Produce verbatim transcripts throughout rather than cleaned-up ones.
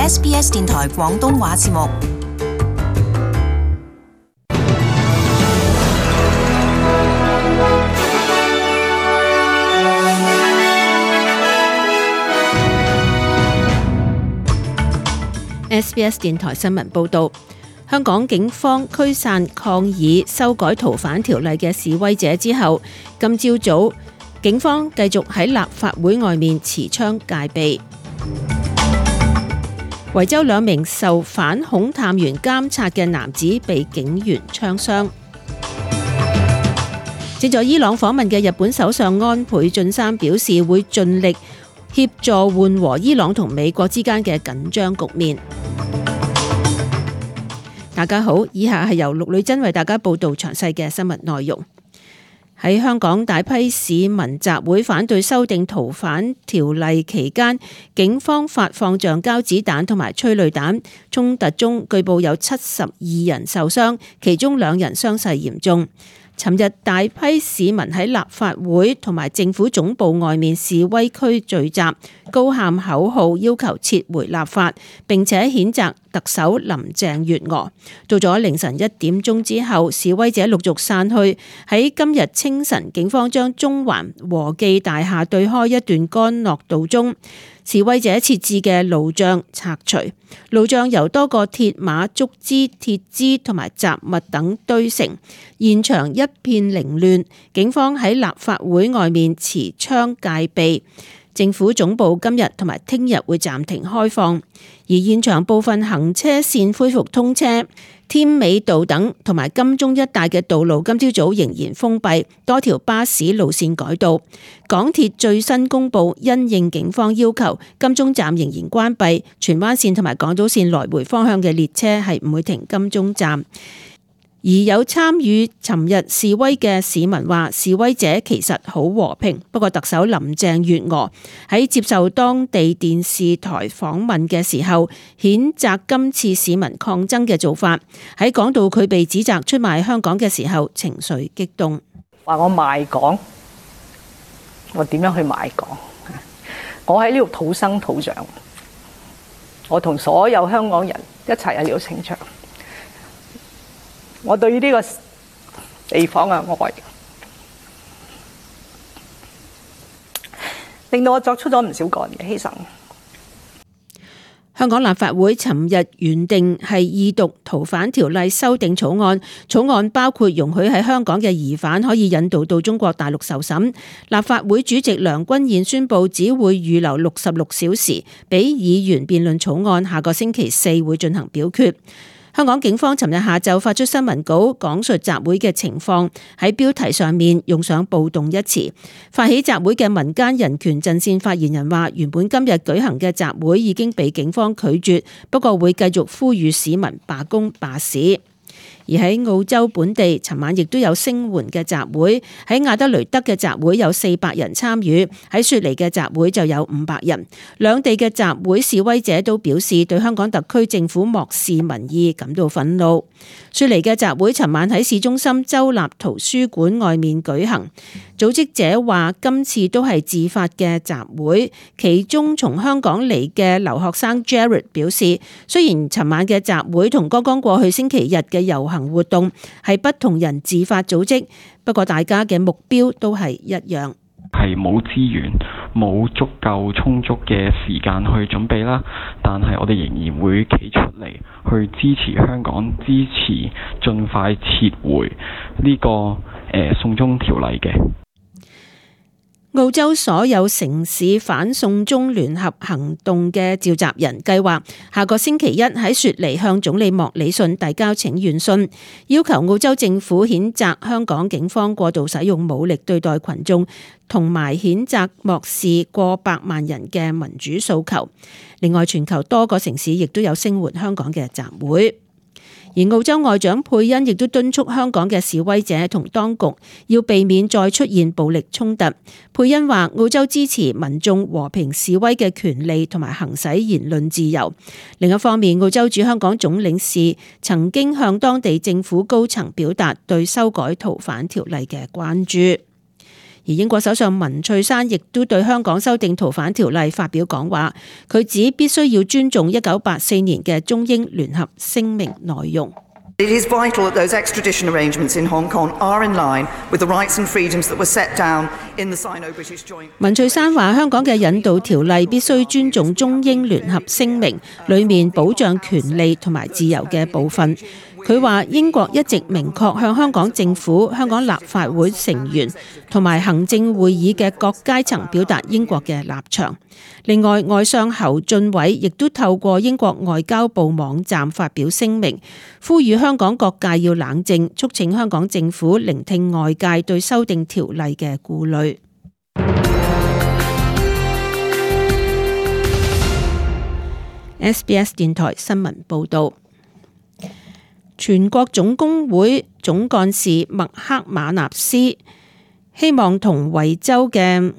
S B S 電台廣東話節目。S B S 電台新聞報導，香港警方驅散抗議修改逃犯條例嘅示威者之後，今朝早警方繼續喺立法會外面持槍戒備。維州兩名受反恐探員監察嘅男子被警員槍傷。正在伊朗訪問嘅日本首相安倍晉三表示，會盡力協助緩和伊朗同美國之間嘅緊張局面。大家好，以下係由陸女真為大家報道詳細嘅新聞內容。喺香港大批市民集會反對修訂逃犯條例期間，警方發放橡膠子彈同埋催淚彈，衝突中據報有七十二人受傷，其中兩人傷勢嚴重。尋日大批市民喺立法會同埋政府總部外面示威區聚集，高喊口號，要求撤回立法，並且譴責特首林鄭月娥。到咗凌晨一點鐘之後，示威者陸續散去。喺今日清晨，警方將中環和記大廈對開一段干諾道中示威者設置嘅路障拆除，路障由多個鐵馬、竹枝、鐵枝同埋雜物等堆成，現場一片凌亂。警方喺立法會外面持槍戒備。政府總部今日同埋聽日會暫停開放，而現場部分行車線恢復通車。添美道等同埋金鐘一帶嘅道路今朝早仍然封閉，多條巴士路線改道。港鐵最新公布，因應警方要求，金鐘站仍然關閉，荃灣線同埋港島線來回方向嘅列車係唔會停金鐘站。而有參與尋日示威嘅市民話，示威者其實好和平。不過特首林鄭月娥喺接受當地電視台訪問嘅時候，譴責今次市民抗爭嘅做法。喺講到佢被指責出賣香港嘅時候，情緒激動。話我賣港，我點樣去賣港？我喺呢度土生土長，我同所有香港人一齊喺呢度成長。我對於呢個地方嘅愛，令到我作出咗唔少個人嘅犧牲。香港立法會尋日原定係二讀逃犯條例修訂草案，草案包括容許喺香港嘅疑犯可以引渡到中國大陸受審。立法會主席梁君彥宣布，只會預留六十六小時俾議員辯論草案，下個星期四會進行表決。香港警方尋日下晝發出新聞稿，講述集會嘅情況，喺標題上面用上暴動一詞。發起集會嘅民間人權陣線發言人話，原本今日舉行嘅集會已經被警方拒絕，不過會繼續呼籲市民罷工罷市。而喺澳洲本地，尋晚亦都有聲援嘅集會，喺亞德雷德嘅集會有四百人參與，喺雪梨嘅集會就有五百人。兩地嘅集會示威者都表示對香港特區政府漠視民意感到憤怒。雪梨嘅集會尋晚喺市中心州立圖書館外面舉行，組織者話今次都係自發嘅集會，其中從香港嚟嘅留學生 Jared 表示，雖然尋晚嘅集會同剛剛過去星期日嘅遊行活動係不同人自發組織，不過大家嘅目標都係一樣，係冇資源、冇足夠充足嘅時間去準備啦，但係我哋仍然會企出嚟去支持香港，支持盡快撤回呢個誒、呃、送中條例嘅。澳洲所有城市反送中聯合行動嘅召集人計劃下個星期一喺雪梨向總理莫里遜遞交請願信，要求澳洲政府譴責香港警方過度使用武力對待群眾，同埋譴責漠視過百萬人嘅民主訴求。另外，全球多個城市亦都有聲援香港嘅集會。而澳洲外長佩恩亦都敦促香港嘅示威者同當局要避免再出現暴力衝突。佩恩話：澳洲支持民眾和平示威嘅權利同埋行使言論自由。另一方面，澳洲駐香港總領事曾經向當地政府高層表達對修改逃犯條例嘅關注。而英國首相文翠珊亦都對香港修訂逃犯條例發表講話，佢指必須要尊重一九八四年嘅中英聯合聲明內容。It is vital that those extradition arrangements in Hong Kong are in line with the rights and freedoms that were set down in the Sino-British Joint. 文翠珊話：香港嘅引渡條例必須尊重中英聯合聲明裏面保障權利同埋自由嘅部分。佢話英國一直明確向香港政府、香港立法會成員同埋行政會議嘅各階層表達英國嘅立場。另外，外相侯俊偉亦都透過英國外交部網站發表聲明，呼籲香港各界要冷靜，促請香港政府聆聽外界對修訂條例嘅顧慮。S B S 電台新聞報導。全國總工會總幹事麥克馬納斯希望同維州嘅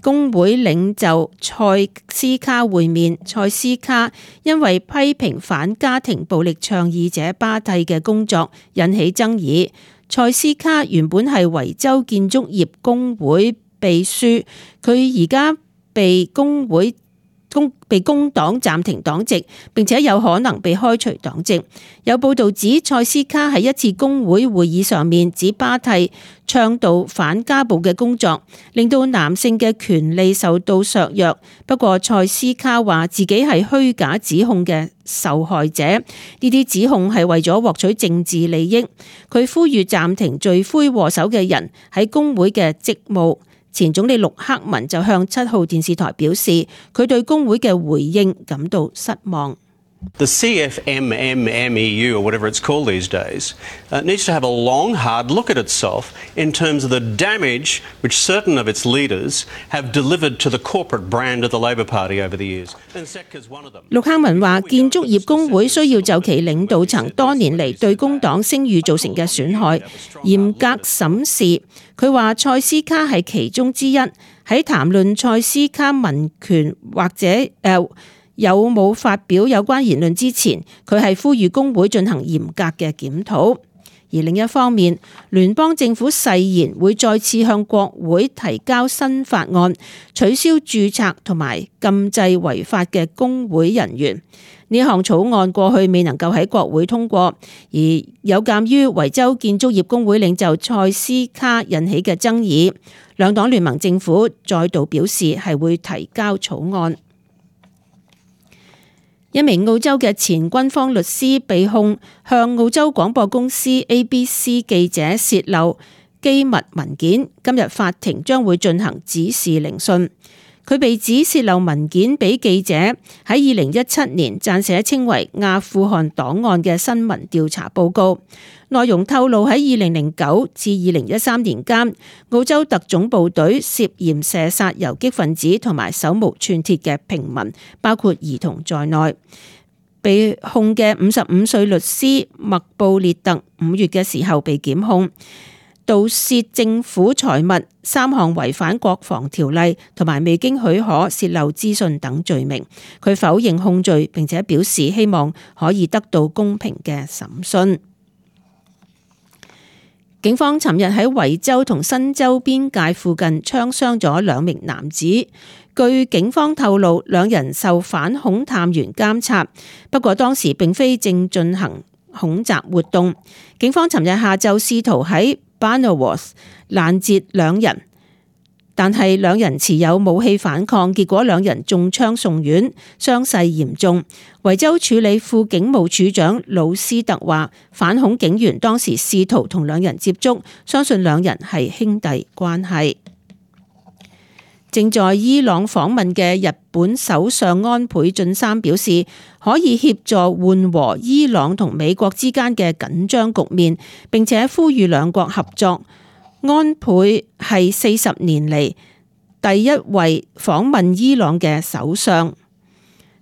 工會領袖塞斯卡會面。塞斯卡因為批評反家庭暴力倡議者巴蒂嘅工作引起爭議。塞斯卡原本係維州建築業工會秘書，佢而家被工會工被工黨暫停黨籍，並且有可能被開除黨籍。有報道指塞斯卡喺一次工會會議上面指巴蒂倡導反家暴嘅工作，令到男性嘅權利受到削弱。不過塞斯卡話自己係虛假指控嘅受害者，呢啲指控係為咗獲取政治利益。佢呼籲暫停罪魁禍首嘅人喺工會嘅職務。前總理陸克文就向七號電視台表示，佢對工會嘅回應感到失望。The C F M M M E U, or whatever it's called these days, uh, needs to have a long, hard look at itself in terms of the damage which certain of its leaders have delivered to the corporate brand of the Labor Party over the years. And S E C is one of them. 陸克文話：建築業工會需要就其領導層多年嚟對工黨聲譽造成嘅損害嚴格審視。佢話塞斯卡係其中之一。喺談論塞斯卡民權或者誒、呃有冇發表有關言論之前，佢係呼籲工會進行嚴格嘅檢討。而另一方面，聯邦政府誓言會再次向國會提交新法案，取消註冊同埋禁制違法嘅工會人員。呢項草案過去未能夠喺國會通過，而有鑑於維州建築業工會領袖塞斯卡引起嘅爭議，兩黨聯盟政府再度表示係會提交草案。一名澳洲嘅前軍方律師被控向澳洲廣播公司 A B C 記者洩漏機密文件，今日法庭將會進行指示聆訊。佢被指洩漏文件俾記者喺二零一七年撰寫稱為阿富汗檔案嘅新聞調查報告，內容透露喺二零零九至二零一三年間，澳洲特種部隊涉嫌射殺游擊分子同埋手無寸鐵嘅平民，包括兒童在內。被控嘅五十五歲律師麥布列特五月嘅時候被檢控盜竊政府財物、三項違反國防條例同埋未經許可洩漏資訊等罪名。佢否認控罪，並且表示希望可以得到公平嘅審訊。警方尋日喺維州同新州邊界附近槍傷咗兩名男子。據警方透露，兩人受反恐探員監察，不過當時並非正進行恐襲活動。警方尋日下晝試圖喺 Barnarworth 攔截兩人，但係兩人持有武器反抗，結果兩人中槍送院，傷勢嚴重。維州處理副警務處長魯斯特話，反恐警員當時試圖同兩人接觸，相信兩人係兄弟關係。正在伊朗訪問嘅日本首相安倍晉三表示，可以協助緩和伊朗同美國之間嘅緊張局面，並且呼籲兩國合作。安倍係四十年嚟第一位訪問伊朗嘅首相，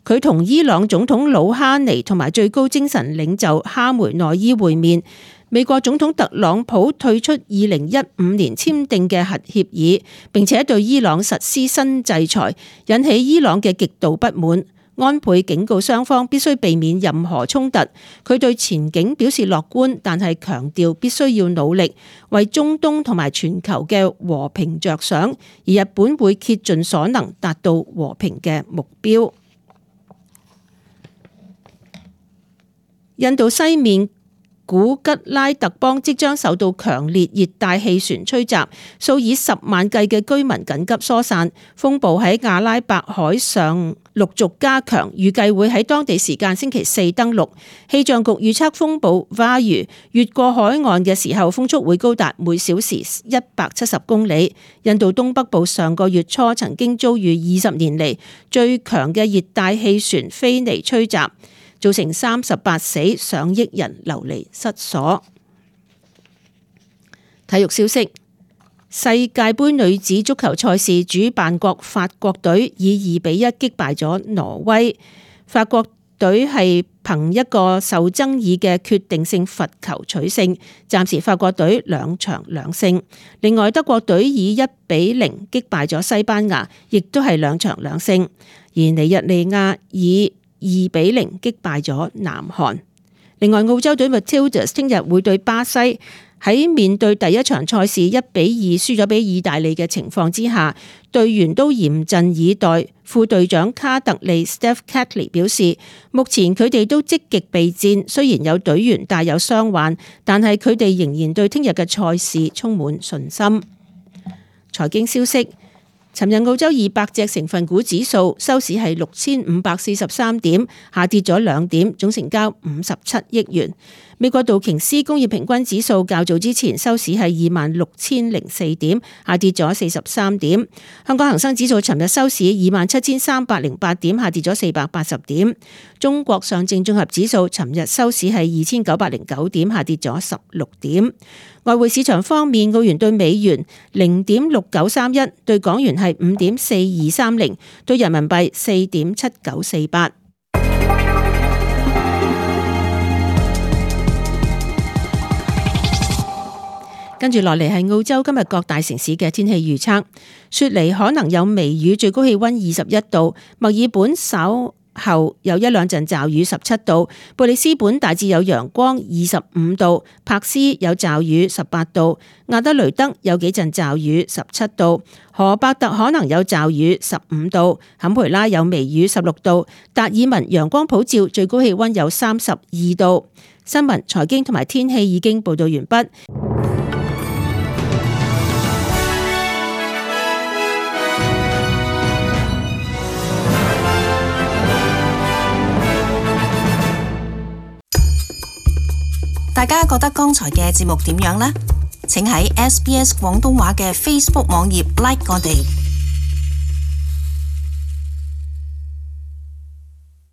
佢同伊朗總統魯哈尼同埋最高精神領袖哈梅內伊會面。美國總統特朗普退出二零一五年簽訂嘅核協議，並且對伊朗實施新制裁，引起伊朗嘅極度不滿。安倍警告雙方必須避免任何衝突。佢對前景表示樂觀，但係強調必須要努力為中東同埋全球嘅和平着想，而日本會竭盡所能達到和平嘅目標。印度西面古吉拉特邦即將受到強烈熱帶氣旋吹襲，數以十萬計嘅居民緊急疏散。風暴喺阿拉伯海上陸續加強，預計會喺當地時間星期四登陸。氣象局預測風暴 Vayu 越過海岸嘅時候，風速會高達每小時一百七十公里。印度東北部上個月初曾經遭遇二十年嚟最強嘅熱帶氣旋菲尼吹襲，造成三十八死，上億人流離失所。體育消息：世界盃女子足球賽事主辦國法國隊以二比一擊敗咗挪威。法國隊係憑一個受爭議嘅決定性罰球取勝，暫時法國隊兩場兩勝。另外，德國隊以一比零擊敗咗西班牙，亦都係兩場兩勝。而尼日利亞以二比零擊敗咗南韓。另外，澳洲隊 Matildas 聽日會對巴西。喺面對第一場賽事一比二輸咗俾意大利嘅情況之下，隊員都嚴陣以待。副隊長卡特利 Steph Catley 表示，目前佢哋都積極備戰，雖然有隊員帶有傷患，但係佢哋仍然對聽日嘅賽事充滿信心。財經消息。尋日澳洲二百隻成分股指數收市係六千五百四十三點，下跌咗兩點，總成交五十七億元。美國道瓊斯工業平均指數較早之前收市係二萬六千零四點，下跌咗四十三點。香港恒生指數尋日收市二萬七千三百零八點，下跌咗四百八十點。中國上證綜合指數尋日收市係二千九百零九點，下跌咗十六點。外匯市場方面，澳元對美元零點六九三一，對港元係五點四二三零，對人民幣四點七九四八。跟住落嚟係澳洲今日各大城市嘅天氣預測。雪梨可能有微雨，最高氣溫二十一度；墨爾本稍後有一兩陣驟雨，十七度；布里斯本大致有陽光，二十五度；柏斯有驟雨，十八度；亞德雷德有幾陣驟雨，十七度；荷伯特可能有驟雨，十五度；坎培拉有微雨，十六度；達爾文陽光普照，最高氣溫有三十二度。新聞、財經同埋天氣已經報道完畢。大家覺得剛才嘅節目點樣呢？請喺 S B S 廣東話嘅 Facebook 網頁 like 我哋。